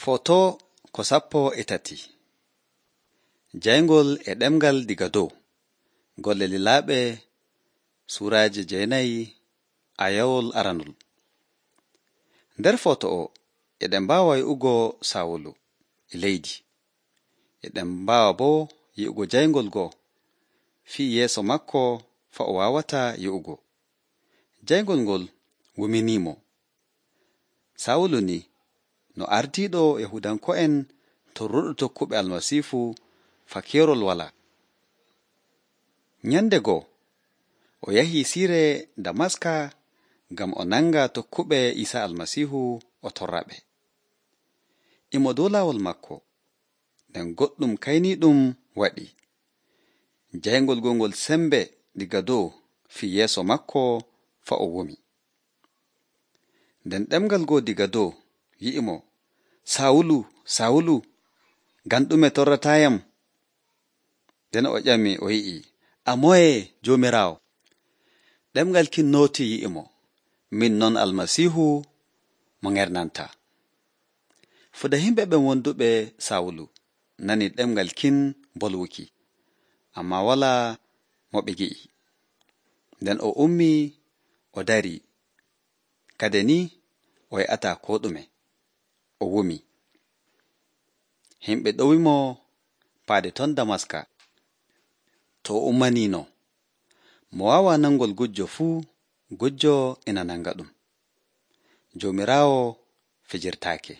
Foto ko 13 Jayngol e ɗemgal diga dow. Golle lilaaɓe suuraaje 9 ayawol aranol. Nder foto o eɗen mbaawa yi'ugo Sawulu e leydi. Eɗen mbaawa boo yi'ugo jayngol go fii yeeso makko fa o waawata yi'ugo. Jayngol ngol wuminiimo. Sawulu ni no ardiiɗo Yahuudanko'en torruɗo tokkuɓe Almasiihu fa keerol walaa. Nyande goo o yahii siire Damaska ngam o nanga tokkuɓe Iisaa Almasiihu o torraɓe. Imo dow laawol makko nden goɗɗum kayniiɗum waɗi. Jayngol ngol sembe diga dow fii yeeso makko fa o wumi. Nden ɗemgal goo diga dow yi'imo, Sawulu, Sawulu, ngam ɗume torrataayam? Nden o ƴami o yi'i, a moye Joomiraawo? Ɗemgal kin nootii yi'imo, min non Almasiihu mo ŋernantaa. Fuda yimɓe ɓen wonduɓe Sawulu nani ɗemgal kin bolwuki, ammaa walaa mo ɓe gi'i. Nden o ummii o darii, kade ni o yi'ataa koo ɗume, o wumi. Himɓe ɗowimo paade ton Damaska. To o ummaniino, mo waawaa nangol gujjo fuu, gujjo ina nanga ɗum. Joomiraawo fijirtaake.